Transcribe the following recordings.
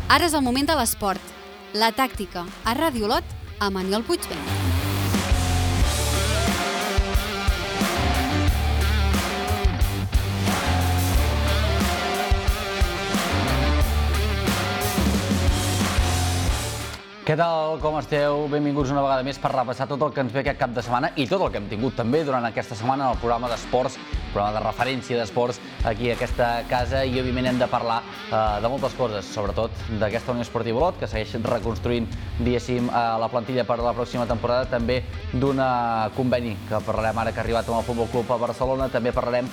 Ara és el moment de l'esport. La tàctica a Ràdio Olot amb Aniol Puigvent. Què tal, com esteu? Benvinguts una vegada més per repassar tot el que ens ve aquest cap de setmana i tot el que hem tingut també durant aquesta setmana en el programa d'esports, programa de referència d'esports aquí a aquesta casa, i òbviament hem de parlar de moltes coses, sobretot d'aquesta Unió Esportiva Olot, que segueix reconstruint, diguéssim, la plantilla per la pròxima temporada, també d'un conveni que parlarem ara que ha arribat amb el Futbol Club a Barcelona, també parlarem,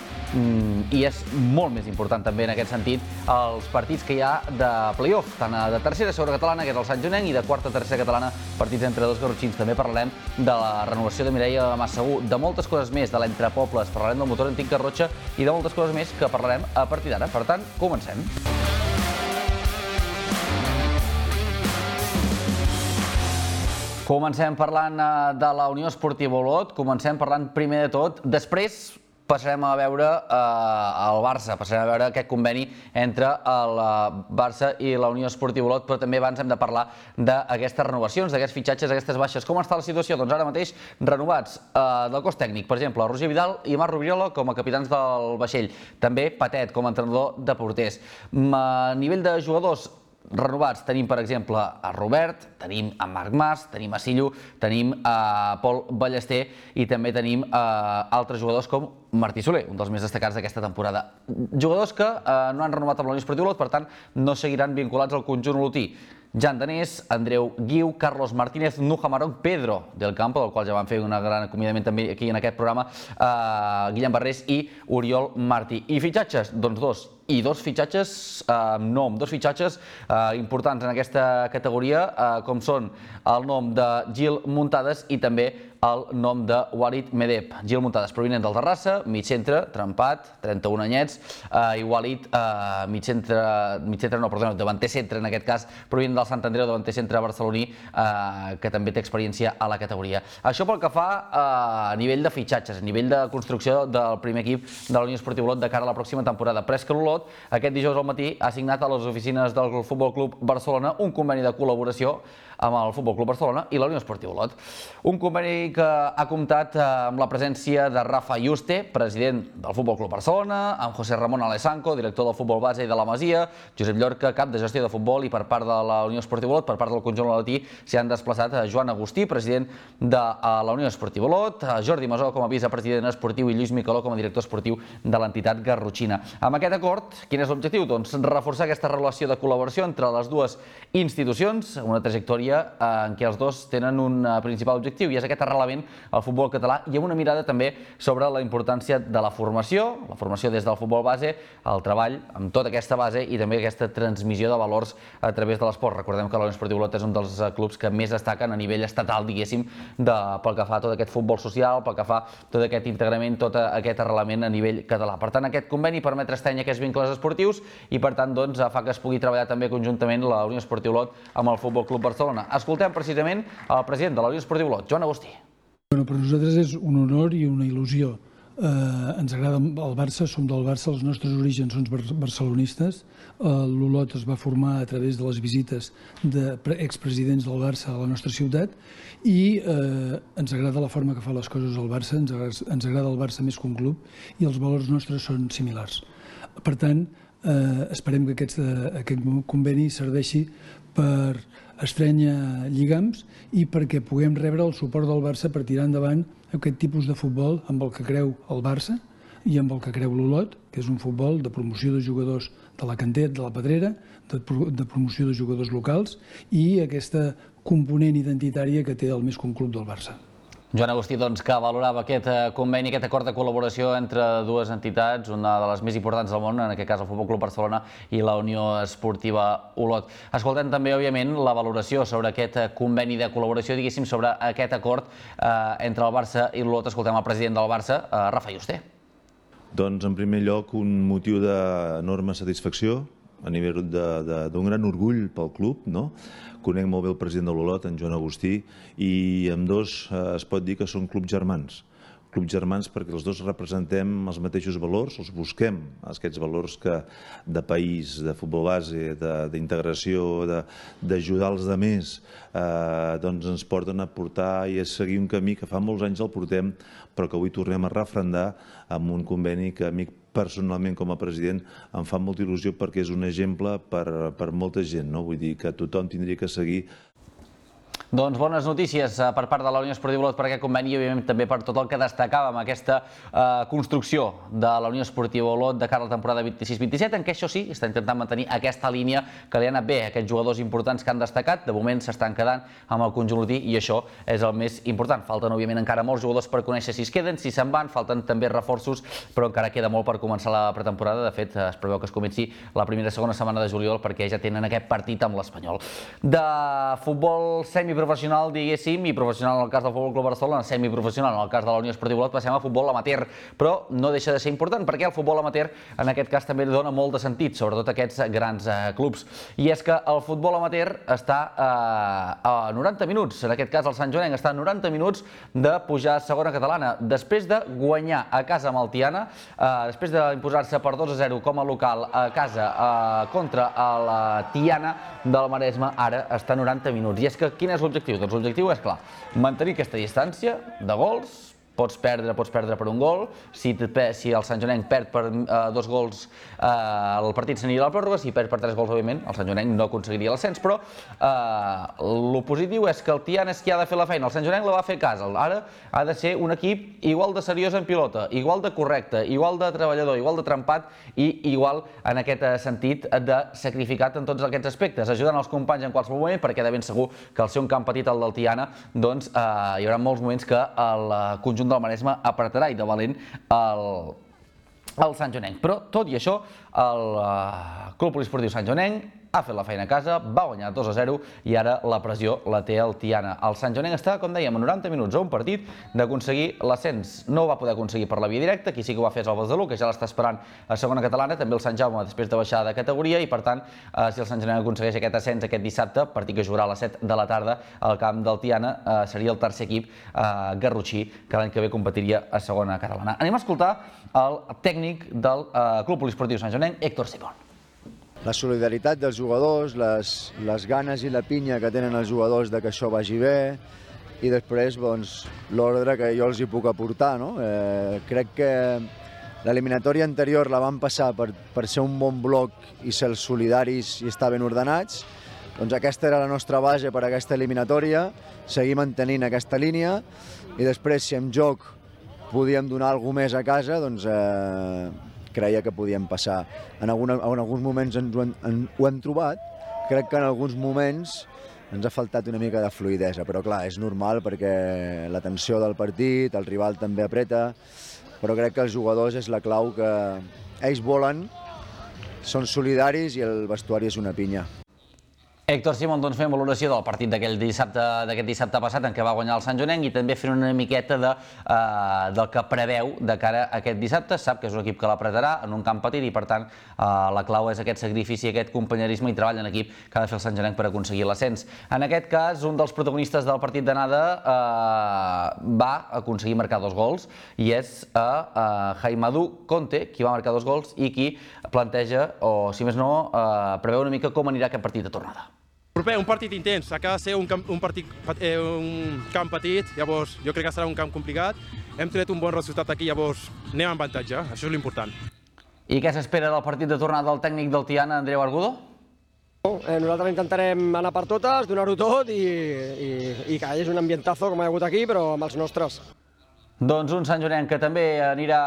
i és molt més important també en aquest sentit, els partits que hi ha de play-off, tant de tercera segona catalana, que és el Sant Jonenc, i de quarta tercera catalana, partits entre dos garrotxins. També parlarem de la renovació de Mireia Massaguer, de moltes coses més, de l'entrepobles, parlarem del motor antic Garrotxa i de moltes coses més que parlarem a partir d'ara. Per tant, comencem. Comencem parlant de la Unió Esportiva Olot, comencem parlant primer de tot, després passarem a veure el Barça, passarem a veure aquest conveni entre el Barça i la Unió Esportiva Olot, però també abans hem de parlar d'aquestes renovacions, d'aquests fitxatges, d'aquestes baixes. Com està la situació? Doncs ara mateix renovats del cos tècnic, per exemple, Roger Vidal i Marc Rubirola com a capitans del vaixell, també Patet com a entrenador de porters. A nivell de jugadors renovats tenim, per exemple, a Robert, tenim a Marc Mas, tenim a Sillo, tenim a Pol Ballester i també tenim altres jugadors com Martí Soler, un dels més destacats d'aquesta temporada. Jugadors que no han renovat amb la Unió Esportiva Olot, per tant, no seguiran vinculats al conjunt olotí. Jan Danés, Andreu Guiu, Carlos Martínez, Nuja Marón, Pedro del Campo, del qual ja vam fer un gran acomiadament també aquí en aquest programa, Guillem Barrés i Oriol Martí. I fitxatges? Doncs dos. I dos fitxatges amb nom, dos fitxatges importants en aquesta categoria, com són el nom de Gil Muntades i també el nom de Walid Medeb. Gil Muntades, provinent del Terrassa, mig centre, trempat, 31 anyets, i Walid, davanter centre en aquest cas, provinent del Sant Andreu, davanter centre barceloní, que també té experiència a la categoria. Això pel que fa a nivell de fitxatges, a nivell de construcció del primer equip de la Unió Esportiva Olot de cara a la pròxima temporada. Però és que l'Olot, aquest dijous al matí, ha signat a les oficines del Futbol Club Barcelona un conveni de col·laboració amb el Futbol Club Barcelona i la Unió Esportiva Olot. Un conveni que ha comptat amb la presència de Rafa Yuste, president del Futbol Club Barcelona, amb José Ramón Alessanco, director del futbol base i de la Masia, Josep Llorca, cap de gestió de futbol, i per part de la Unió Esportiva Olot, per part del conjunt olotí, s'hi han desplaçat Joan Agustí, president de la Unió Esportiva Olot, Jordi Masó com a vicepresident esportiu i Lluís Micaló com a director esportiu de l'entitat garrotxina. Amb aquest acord, quin és l'objectiu? Doncs reforçar aquesta relació de col·laboració entre les dues institucions, una trajectòria en què els dos tenen un principal objectiu, i és aquest arrelament al futbol català, i amb una mirada també sobre la importància de la formació des del futbol base, el treball amb tota aquesta base i també aquesta transmissió de valors a través de l'esport. Recordem que la Unió Esportiva Olot és un dels clubs que més destaquen a nivell estatal, diguéssim, pel que fa a tot aquest futbol social, pel que fa a tot aquest integrament, tot aquest arrelament a nivell català. Per tant, aquest conveni permet estrènyer aquests vincles esportius i, per tant, fa que es pugui treballar també conjuntament la Unió Esportiva Olot amb el Futbol Club Barcelona. Escoltem precisament el president de la Unió Esportiva Olot, Joan Agustí. Per nosaltres és un honor i una il·lusió. Ens agrada el Barça, som del Barça, els nostres orígens són barcelonistes. L'Olot es va formar a través de les visites d'expresidents del Barça a la nostra ciutat i ens agrada la forma que fa les coses el Barça, ens agrada el Barça més que un club i els valors nostres són similars. Per tant, esperem que aquest conveni serveixi per estrènyer lligams i perquè puguem rebre el suport del Barça per tirar endavant aquest tipus de futbol amb el que creu el Barça i amb el que creu l'Olot, que és un futbol de promoció de jugadors de la cantera, de la Pedrera, de promoció de jugadors locals i aquesta component identitària que té el més que un club del Barça. Joan Agustí, doncs, que valorava aquest conveni, aquest acord de col·laboració entre dues entitats, una de les més importants del món, en aquest cas el Futbol Club Barcelona i la Unió Esportiva Olot. Escoltem també, òbviament, la valoració sobre aquest conveni de col·laboració, diguéssim, sobre aquest acord entre el Barça i l'Olot. Escoltem el president del Barça, Rafa Yuste. Doncs, en primer lloc, un motiu d'enorme satisfacció, a nivell d'un gran orgull pel club, no? Conec molt bé el president de l'Olot, en Joan Agustí, i ambdós es pot dir que són clubs germans. clubs germans perquè els dos representem els mateixos valors, els busquem, aquests valors de país, de futbol base, d'integració, d'ajudar els altres, doncs ens porten a portar i a seguir un camí que fa molts anys el portem, però que avui tornem a refrendar amb un conveni que a mi personalment com a president em fa molta il·lusió perquè és un exemple per molta gent, no? Vull dir que tothom tindria que seguir. Doncs bones notícies per part de la Unió Esportiva Olot per aquest conveni i òbviament també per tot el que destacàvem aquesta construcció de la Unió Esportiva Olot de cara a la temporada 26-27, en què això sí, està intentant mantenir aquesta línia que li ha anat bé a aquests jugadors importants que han destacat. De moment s'estan quedant amb el conjunt olotí i això és el més important. Falten òbviament encara molts jugadors per conèixer si es queden, si se'n van, falten també reforços, però encara queda molt per començar la pretemporada. De fet, es preveu que es comenci la primera i segona setmana de juliol perquè ja tenen aquest partit amb l'Espanyol. De futbol semiprofessional, diguéssim, i professional en el cas del Futbol Club Barcelona, semiprofessional en el cas de la Unió Esportiva Olot, passem a futbol amateur, però no deixa de ser important perquè el futbol amateur en aquest cas també dona molt de sentit, sobretot aquests grans clubs. I és que el futbol amateur està a 90 minuts, en aquest cas el Sant Joanenc està a 90 minuts de pujar a segona catalana, després de guanyar a casa amb el Tiana, després d'imposar-se per 2-0 com a local a casa contra el Tiana del Maresme, ara està a 90 minuts. I és que quin és l'objectiu? Doncs l'objectiu és, clar, mantenir aquesta distància de gols. Pots perdre per un gol, si el Sant Joanenc perd per 2 gols el partit s'aniria a la pròrroga, si perd per 3 gols òbviament el Sant Joanenc no aconseguiria l'ascens, però el positiu és que el Tiana és qui ha de fer la feina, el Sant Joanenc la va fer a casa, ara ha de ser un equip igual de seriós en pilota, igual de correcte, igual de treballador, igual de trempat i igual en aquest sentit de sacrificat en tots aquests aspectes, ajudant els companys en qualsevol moment, perquè de ben segur que al ser un camp petit el del Tiana, doncs hi haurà molts moments que el conjunt del Maresme apretarà i de valent el Sant Joanenc. Però, tot i això, el Club Poliesportiu Sant Joanenc ha fet la feina a casa, va guanyar 2-0 i ara la pressió la té el Tiana. El Sant Joanenc està, com dèiem, a 90 minuts a un partit d'aconseguir l'ascens. No ho va poder aconseguir per la via directa, qui sí que ho va fer és el Besalú, que ja l'està esperant a segona catalana, també el Sant Jaume després de baixar de categoria i, per tant, si el Sant Joanenc aconsegueix aquest ascens aquest dissabte, partit que jugarà a les 7 de la tarda al camp del Tiana, seria el tercer equip garrotxí que l'any que ve competiria a segona catalana. Anem a escoltar el tècnic del Club Poliesportiu Sant Joanenc, Héctor Simón. La solidaritat dels jugadors, les ganes i la pinya que tenen els jugadors de que això vagi bé i després l'ordre que jo els hi puc aportar. Crec que l'eliminatòria anterior la vam passar per ser un bon bloc i ser solidaris i estar ben ordenats. Doncs aquesta era la nostra base per a aquesta eliminatòria, seguir mantenint aquesta línia i després si en joc podíem donar alguna més a casa, doncs creia que podíem passar. En alguns moments ho hem trobat, crec que en alguns moments ens ha faltat una mica de fluïdesa, però clar, és normal perquè la tensió del partit, el rival també apreta, però crec que els jugadors és la clau que ells volen, són solidaris i el vestuari és una pinya. Héctor Simón, doncs fem valoració del partit d'aquest dissabte passat en què va guanyar el Sant Joanenc i també fent una miqueta del que preveu de cara a aquest dissabte. Sap que és un equip que l'apretarà en un camp petit i per tant la clau és aquest sacrifici, aquest companyerisme i treball en equip que ha de fer el Sant Joanenc per aconseguir l'ascens. En aquest cas, un dels protagonistes del partit d'anada va aconseguir marcar 2 gols i és Haimadou Conte, qui va marcar 2 gols i qui planteja, o si més no, preveu una mica com anirà aquest partit de tornada. Proper, un partit intens, acaba de ser un camp petit, llavors jo crec que serà un camp complicat. Hem tret un bon resultat aquí, llavors anem en avantatge, això és l'important. I què s'espera del partit de tornada del tècnic del Tiana, Andreu Argudo? Nosaltres intentarem anar per totes, donar-ho tot i que és un ambientazo com hi ha hagut aquí, però amb els nostres. Doncs un Sant Joanenc que també anirà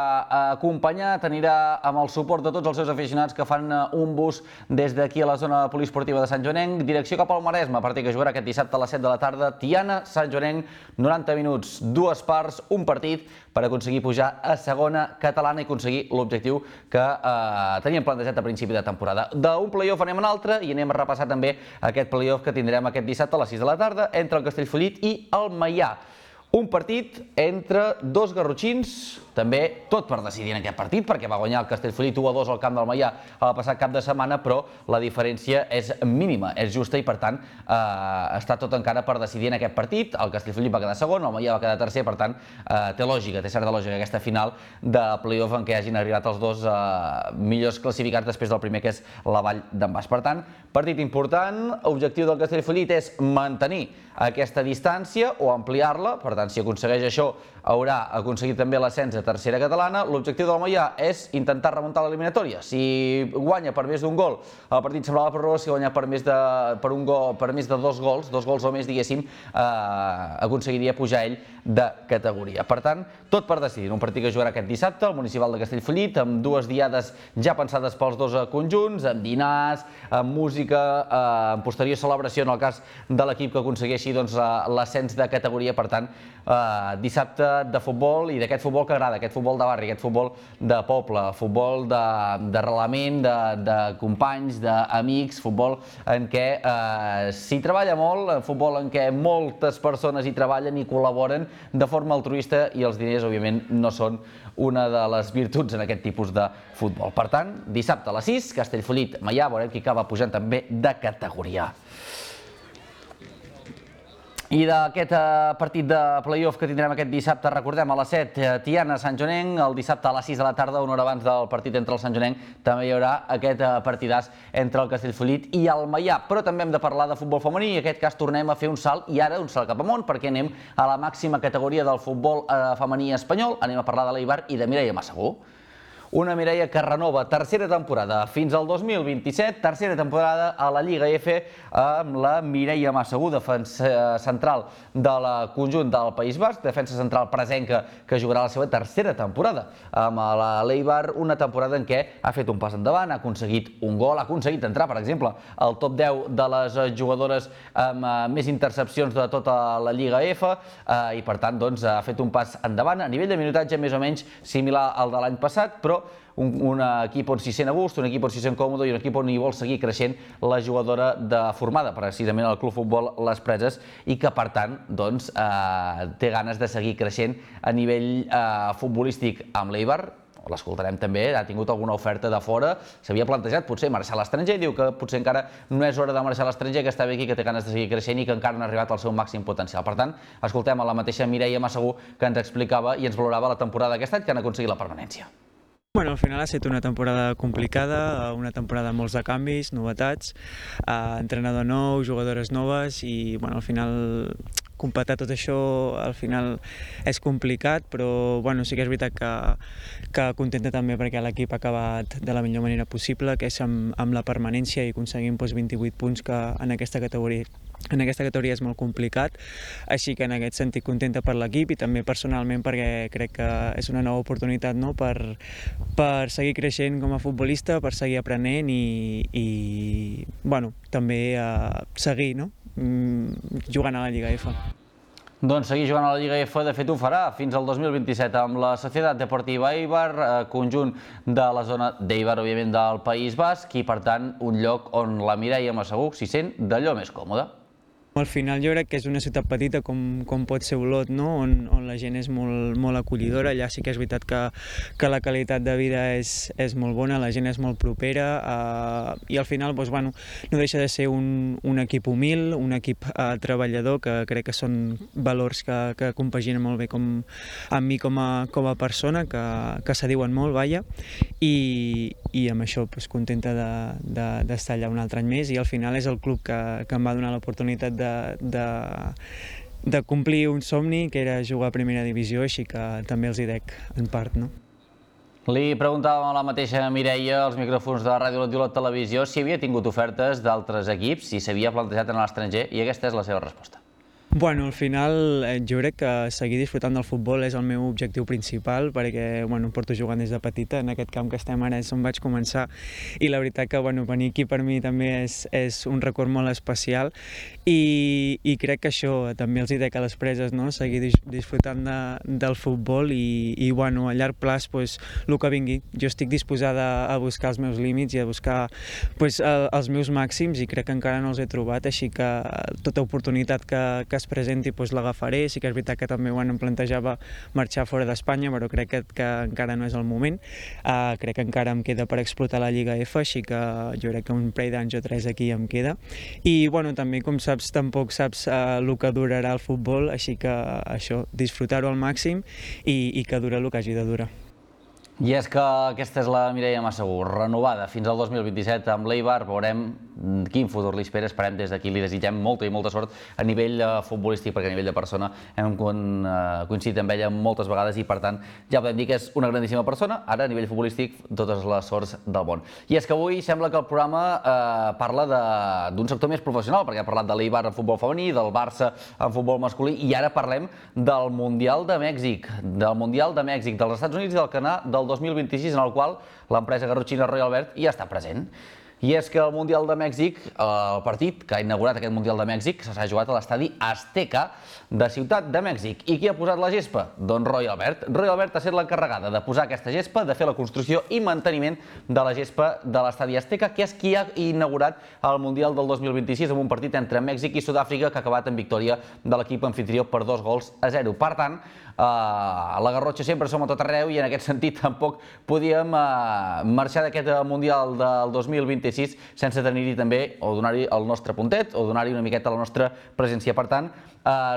acompanyat, anirà amb el suport de tots els seus aficionats que fan un bus des d'aquí a la zona poliesportiva de Sant Joanenc, direcció cap al Maresme, partit que jugarà aquest dissabte a les 7 de la tarda, Tiana, Sant Joanenc, 90 minuts, 2 parts, un partit per aconseguir pujar a segona catalana i aconseguir l'objectiu que teníem plantejat a principi de temporada. D'un play-off anem a un altre i anem a repassar també aquest play-off que tindrem aquest dissabte a les 6 de la tarda entre el Castellfollit i el Maià. Un partit entre dos garrotxins també tot per decidir en aquest partit, perquè va guanyar el Castellfollit 1-2 al camp del Maià el passat cap de setmana, però la diferència és mínima, és justa i per tant està tot encara per decidir en aquest partit. El Castellfollit va quedar segon, el Maià va quedar tercer, per tant té lògica, té certa lògica aquesta final de play-off en què hagin arribat els dos millors classificats després del primer, que és la Vall d'en Bas. Per tant, partit important, objectiu del Castellfollit és mantenir aquesta distància o ampliar-la, per tant, si aconsegueix això, haurà aconseguit també l'ascens a tercera catalana. L'objectiu del Maià és intentar remuntar l'eliminatòria. Si guanya per més d'un gol, el partit semblava pròrroga, si guanya per més de dos gols o més, diguéssim, aconseguiria pujar ell de categoria. Per tant, tot per decidir. Un partit que jugarà aquest dissabte, al Municipal de Castellfollit, amb dues diades ja pensades pels dos conjunts, amb dinars, amb música, amb posterior celebració en el cas de l'equip que aconsegueixi l'ascens de categoria. Per tant, dissabte de futbol, i d'aquest futbol que agrada, aquest futbol de barri, aquest futbol de poble, futbol d'arrelament, de companys, d'amics, futbol en què s'hi treballa molt, futbol en què moltes persones hi treballen i col·laboren de forma altruista, i els diners, òbviament, no són una de les virtuts en aquest tipus de futbol. Per tant, dissabte a les 6, Castellfollit, Maià, veurem qui acaba pujant també de categoria. I d'aquest partit de play-off que tindrem aquest dissabte, recordem, a les 7, Tiana-Sant Joanenc, el dissabte a les 6 de la tarda, una hora abans del partit entre el Sant Joanenc, també hi haurà aquest partidàs entre el Castellfollit i el Maià. Però també hem de parlar de futbol femení, i en aquest cas tornem a fer un salt, i ara un salt cap amunt, perquè anem a la màxima categoria del futbol femení espanyol, anem a parlar de l'Eibar i de Mireia Massagué. Una Mireia que renova tercera temporada fins al 2027, tercera temporada a la Lliga F amb la Mireia Massagué, defensa central del conjunt del País Basc, defensa central presenca que jugarà la seva tercera temporada amb l'Eibar, una temporada en què ha fet un pas endavant, ha aconseguit un gol, ha aconseguit entrar, per exemple, al top 10 de les jugadores amb més intercepcions de tota la Lliga F, i per tant ha fet un pas endavant a nivell de minutatge més o menys similar al de l'any passat, però un equip on s'hi sent a gust, un equip on s'hi sent còmode i un equip on hi vol seguir creixent la jugadora formada precisament al Club Futbol Les Preses, i que per tant té ganes de seguir creixent a nivell futbolístic amb l'Eibar. L'escoltarem també, ha tingut alguna oferta de fora, s'havia plantejat potser marxar a l'estranger, diu que potser encara no és hora de marxar a l'estranger, que està bé aquí, que té ganes de seguir creixent i que encara no ha arribat al seu màxim potencial. Per tant, escoltem a la mateixa Mireia Massagué, que ens explicava i ens valorava la temporada d'aquest any, que han aconseguit la permanència. Bueno, al final ha estat una temporada complicada, una temporada amb molts de canvis, novetats, entrenador nou, jugadores noves, i bueno, al final completar tot això al final és complicat, però bueno, sí que és veritat que contenta també perquè l'equip ha acabat de la millor manera possible, que és amb la permanència, i aconseguim 28 punts, que en aquesta categoria és molt complicat, així que en aquest sentit contenta per l'equip i també personalment, perquè crec que és una nova oportunitat, no?, per seguir creixent com a futbolista, per seguir aprenent i bueno, també seguir, no?, jugant a la Lliga F. Doncs seguir jugant a la Lliga F, de fet ho farà fins al 2027 amb la Societat Deportiva Eibar, conjunt de la zona d'Eibar, òbviament del País Basc, i per tant un lloc on la Mireia Massagué s'hi sent d'allò més còmoda. Al final jo crec que és una ciutat petita com pot ser Olot, no?, on la gent és molt acollidora. Allà sí que és veritat que la qualitat de vida és molt bona, la gent és molt propera, i al final bueno, no deixa de ser un equip humil, un equip treballador, que crec que són valors que compaginen molt bé amb mi com a persona, que s'adiuen molt, vaja, i amb això contenta d'estar allà un altre any més, i al final és el club que em va donar l'oportunitat de complir un somni, que era jugar a primera divisió, així que també els hi dec en part, no? Li preguntàvem a la mateixa Mireia, als micròfons de Ràdio Olot i Olot Televisió, si havia tingut ofertes d'altres equips, si s'havia plantejat en l'estranger, i aquesta és la seva resposta. Bueno, al final jo crec que seguir disfrutant del futbol és el meu objectiu principal, perquè porto jugant des de petita, en aquest camp que estem ara és on vaig començar, i la veritat que venir aquí per mi també és un record molt especial, i crec que això també els hi dec a les Preses, no?, seguir disfrutant del futbol, i a llarg plaç el que vingui. Jo estic disposada a buscar els meus límits i a buscar els meus màxims, i crec que encara no els he trobat, així que tota oportunitat que que es presenti l'agafaré. Sí que és veritat que també em plantejava marxar fora d'Espanya, però crec que encara no és el moment. Crec que encara em queda per explotar la Lliga F, així que jo crec que un parell d'anys o 3 aquí em queda. I també, com saps, tampoc saps el que durarà el futbol, així que això, disfrutar-ho al màxim i que dura el que hagi de durar. I és que aquesta és la Mireia Massaguer, renovada fins al 2027 amb l'Eibar. Veurem quin futur li espera. Esperem des d'aquí, li desitgem molta i molta sort a nivell futbolístic, perquè a nivell de persona hem coincidit amb ella moltes vegades i, per tant, ja podem dir que és una grandíssima persona. Ara, a nivell futbolístic, totes les sorts del món. I és que avui sembla que el programa parla d'un sector més professional, perquè ha parlat de l'Eibar en futbol femení, del Barça en futbol masculí, i ara parlem del Mundial de Mèxic, dels Estats Units i del Canadà del 2026, en el qual l'empresa garrotxina Royal Albert ja està present. I és que el Mundial de Mèxic, el partit que ha inaugurat aquest Mundial de Mèxic, s'ha jugat a l'estadi Azteca de Ciutat de Mèxic. I qui ha posat la gespa? Doncs Royal Albert. Royal Albert ha estat l'encarregada de posar aquesta gespa, de fer la construcció i manteniment de la gespa de l'estadi Azteca, que és qui ha inaugurat el Mundial del 2026 amb un partit entre Mèxic i Sud-àfrica que ha acabat en victòria de l'equip anfitrió per 2-0. Per tant, a la Garrotxa sempre som a tot arreu i en aquest sentit tampoc podíem marxar d'aquest Mundial del 2026 sense tenir-hi també o donar-hi el nostre puntet o donar-hi una miqueta la nostra presència. Per tant,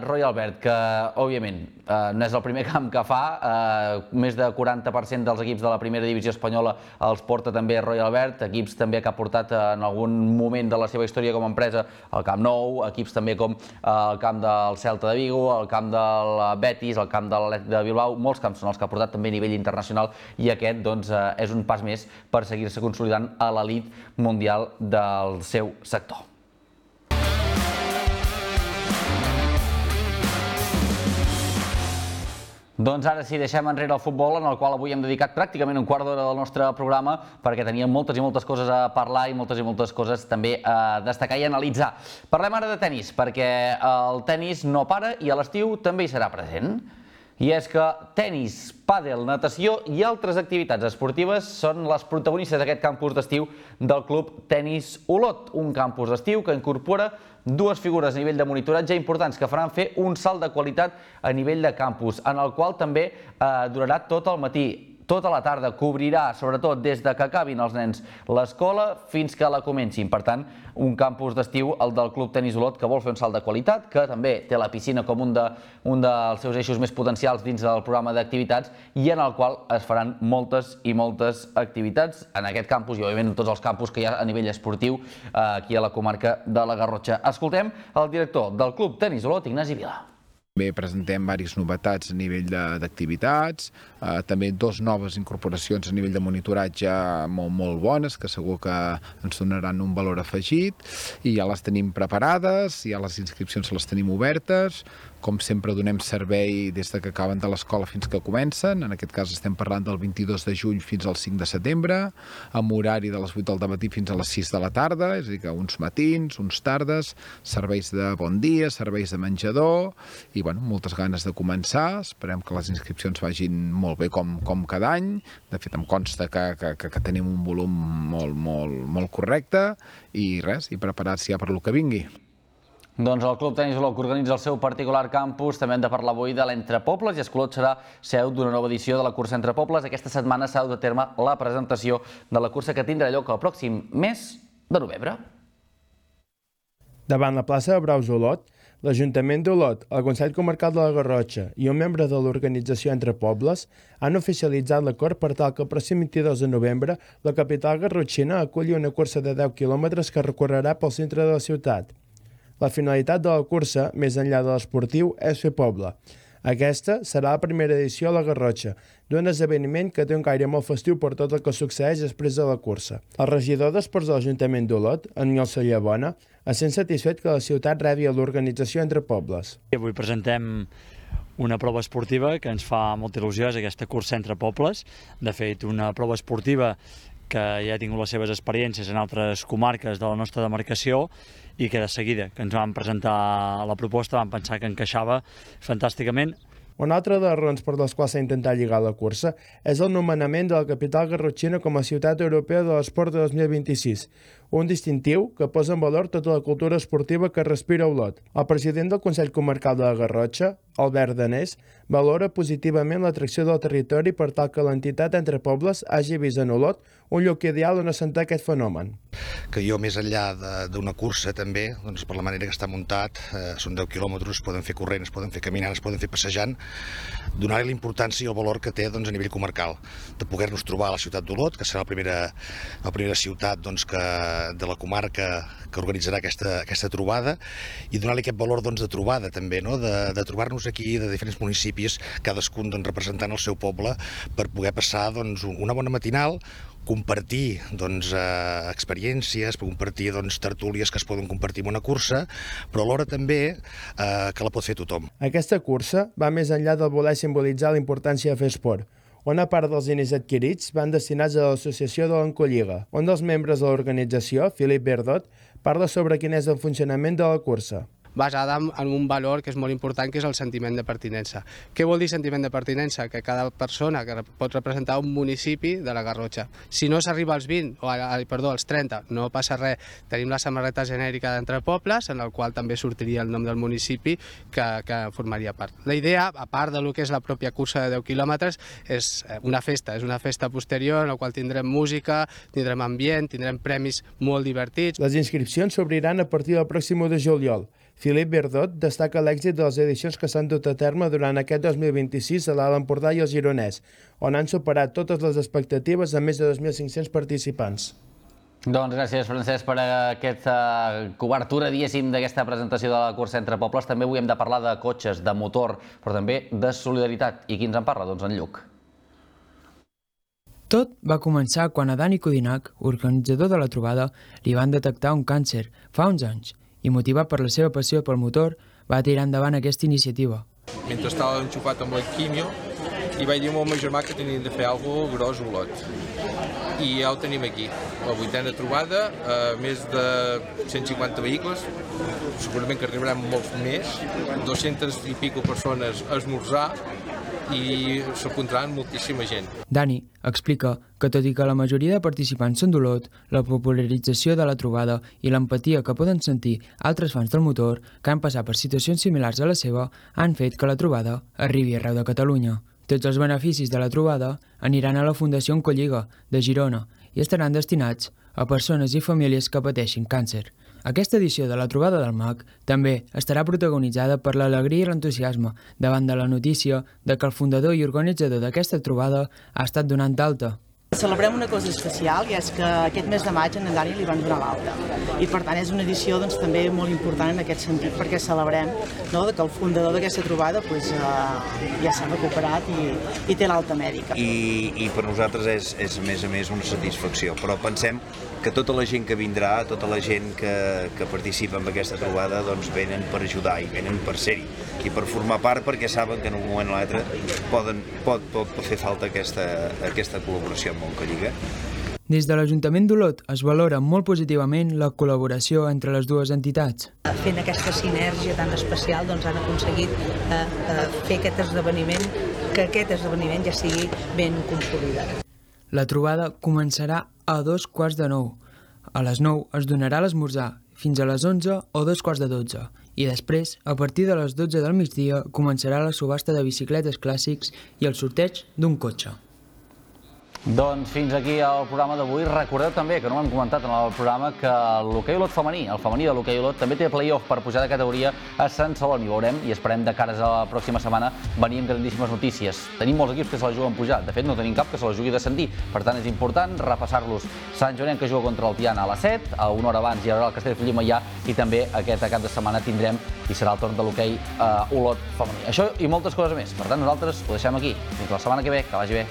Royal Albert, que òbviament no és el primer camp que fa, més de 40% dels equips de la primera divisió espanyola els porta també Royal Albert, equips també que ha portat en algun moment de la seva història com a empresa el Camp Nou, equips també com el camp del Celta de Vigo, el camp del Betis, el camp de l'Atlètic de Bilbao, molts camps són els que ha portat també a nivell internacional i aquest doncs és un pas més per seguir-se consolidant a l'elit mundial del seu sector. Doncs ara sí, deixem enrere el futbol, en el qual avui hem dedicat pràcticament un quart d'hora del nostre programa perquè teníem moltes i moltes coses a parlar i moltes coses també a destacar i analitzar. Parlem ara de tenis, perquè el tenis no para i a l'estiu també hi serà present. I és que tenis, pàdel, natació i altres activitats esportives són les protagonistes d'aquest campus d'estiu del Club Tenis Olot, un campus d'estiu que incorpora dues figures a nivell de monitoratge importants que faran fer un salt de qualitat a nivell de campus, en el qual també durarà tot el matí. Tota la tarda, cobrirà, sobretot des de que acabin els nens l'escola fins que la comencin. Per tant, un campus d'estiu, el del Club Tenis Olot, que vol fer un salt de qualitat, que també té la piscina com un dels seus eixos més potencials dins del programa d'activitats i en el qual es faran moltes i moltes activitats en aquest campus i, òbviament, en tots els campus que hi ha a nivell esportiu aquí a la comarca de la Garrotxa. Escoltem el director del Club Tenis Olot, Ignasi Vila. També presentem diverses novetats a nivell d'activitats, també dues noves incorporacions a nivell de monitoratge molt bones, que segur que ens donaran un valor afegit, i ja les tenim preparades, ja les inscripcions les tenim obertes. Com sempre donem servei des que acaben de l'escola fins que comencen, en aquest cas estem parlant del 22 de juny fins al 5 de setembre, amb horari de les 8 del matí fins a les 6 de la tarda, és a dir que uns matins, uns tardes, serveis de bon dia, serveis de menjador, i moltes ganes de començar. Esperem que les inscripcions vagin molt bé com cada any. De fet, em consta que tenim un volum molt correcte i res, i preparats ja per lo que vingui. Doncs el Club Tenis Olot, que organitza el seu particular campus, també hem de parlar avui de l'Entrepobles, i Escolot serà seu d'una nova edició de la cursa Entrepobles. Aquesta setmana s'ha dut a terme la presentació de la cursa que tindrà lloc el pròxim mes de novembre. Davant la plaça de Braus Olot, l'Ajuntament d'Olot, el Consell Comarcal de la Garrotxa i un membre de l'organització Entrepobles han oficialitzat l'acord per tal que el pròxim 22 de novembre la capital garrotxina aculli una cursa de 10 quilòmetres que recorrerà pel centre de la ciutat. La finalitat de la cursa, més enllà de l'esportiu, és fer poble. Aquesta serà la primera edició a la Garrotxa, d'un esdeveniment que té un caire molt festiu per tot el que succeeix després de la cursa. El regidor d'Esports de l'Ajuntament d'Olot, Aniol Sallabona, es sent satisfet que la ciutat rebi l'organització Entrepobles. Avui presentem una prova esportiva que ens fa molta il·lusió, és aquesta cursa entre pobles. De fet, una prova esportiva que ja ha tingut les seves experiències en altres comarques de la nostra demarcació i que de seguida que ens van presentar la proposta vam pensar que encaixava fantàsticament. Una altra de les raons per les quals s'ha intentat lligar la cursa és el nomenament de la capital garrotxina com a ciutat europea de l'esport de 2026, un distintiu que posa en valor tota la cultura esportiva que respira Olot. El president del Consell Comarcal de la Garrotxa, Albert Danés, valora positivament l'atracció del territori per tal que l'entitat Entre Pobles hagi vist en Olot un lloc ideal on assentar aquest fenomen. Que jo, més enllà d'una cursa també, doncs per la manera que està muntat, són 10 quilòmetres, es poden fer corrent, es poden fer caminant, es poden fer passejant, donar-li l'importància i el valor que té a nivell comarcal, de poder-nos trobar a la ciutat d'Olot, que serà la primera ciutat de la comarca que organitzarà aquesta trobada, i donar-li aquest valor de trobada també, de trobar-nos aquí de diferents municipis, cadascun representant el seu poble, per poder passar una bona matinal, compartir experiències, compartir tertúlies que es poden compartir en una cursa, però alhora també que la pot fer tothom. Aquesta cursa va més enllà del voler simbolitzar la importància de fer esport. Una part dels diners adquirits van destinats a l'associació de l'Encolliga. Un dels membres de l'organització, Filip Verdot, parla sobre quin és el funcionament de la cursa. Basada en un valor que és molt important, que és el sentiment de pertinença. Què vol dir sentiment de pertinença? Que cada persona que pot representar un municipi de la Garrotxa. Si no s'arriba als 30, no passa res. Tenim la samarreta genèrica d'Entre Pobles, en el qual també sortiria el nom del municipi que formaria part. La idea, a part del que és la pròpia cursa de 10 quilòmetres, és una festa posterior en la qual tindrem música, tindrem ambient, tindrem premis molt divertits. Les inscripcions s'obriran a partir del pròxim 1 de juliol. Filip Verdot destaca l'èxit de les edicions que s'han dut a terme durant aquest 2026 a l'Alt Empordà i el Gironès, on han superat totes les expectatives amb més de 2.500 participants. Doncs gràcies, Francesc, per aquesta cobertura, diguéssim, d'aquesta presentació de la cursa Entre Pobles. També avui hem de parlar de cotxes, de motor, però també de solidaritat. I qui ens en parla? Doncs en Lluc. Tot va començar quan a Dani Codinac, organitzador de la trobada, li van detectar un càncer fa uns anys i, motivat per la seva passió pel motor, va tirar endavant aquesta iniciativa. Mentre estava enxufat amb la quimio, i vaig dir al meu germà que teníem de fer alguna cosa gros a Olot. I ja ho tenim aquí, la 8a trobada, més de 150 vehicles, segurament que arribaran molts més, 200 i pico persones a esmorzar, i s'apuntaran moltíssima gent. Dani explica que, tot i que la majoria de participants són d'Olot, la popularització de la trobada i l'empatia que poden sentir altres fans del motor que han passat per situacions similars a la seva han fet que la trobada arribi arreu de Catalunya. Tots els beneficis de la trobada aniran a la Fundació Encolliga de Girona i estaran destinats a persones i famílies que pateixin càncer. Aquesta edició de la trobada del MAC també estarà protagonitzada per l'alegria i l'entusiasme davant de la notícia de que el fundador i organitzador d'aquesta trobada ha estat donat d'alta. Celebrem una cosa especial, i és que aquest mes de maig en Dani li van donar l'alta. I per tant és una edició també molt important en aquest sentit, perquè celebrem que el fundador d'aquesta trobada ja s'ha recuperat i té l'alta mèdica. I per nosaltres és a més una satisfacció, però pensem que tota la gent que vindrà, tota la gent que participa en aquesta trobada, venen per ajudar i venen per ser-hi i per formar part, perquè saben que en un moment o l'altre pot fer falta aquesta col·laboració amb Encolliga. Des de l'Ajuntament d'Olot es valora molt positivament la col·laboració entre les dues entitats. Fent aquesta sinergia tan especial han aconseguit fer aquest esdeveniment, que aquest esdeveniment ja sigui ben consolidat. La trobada començarà a 8:45. A les 9 es donarà l'esmorzar, fins a les 11 o 11:45. I després, a partir de les 12 del migdia, començarà la subhasta de bicicletes clàssics i el sorteig d'un cotxe. Doncs fins aquí el programa d'avui. Recordeu també, que no ho hem comentat en el programa, que l'hoquei Olot femení, el femení de l'hoquei Olot, també té play-off per pujar de categoria a Sant Celoni. Ho veurem i esperem de cares a la pròxima setmana venir amb grandíssimes notícies. Tenim molts equips que se la juguen pujar. De fet, no tenim cap que se la jugui descendir. Per tant, és important repassar-los. Sant Joanet, que juga contra el Tiana a les 7, a una hora abans hi haurà el Castellfollit Maià, i també aquest cap de setmana tindrem i serà el torn de l'hoquei Olot femení. Això i moltes coses més. Per tant, nosaltres ho deixem aquí. Fins la setmana que ve. Que vagi bé.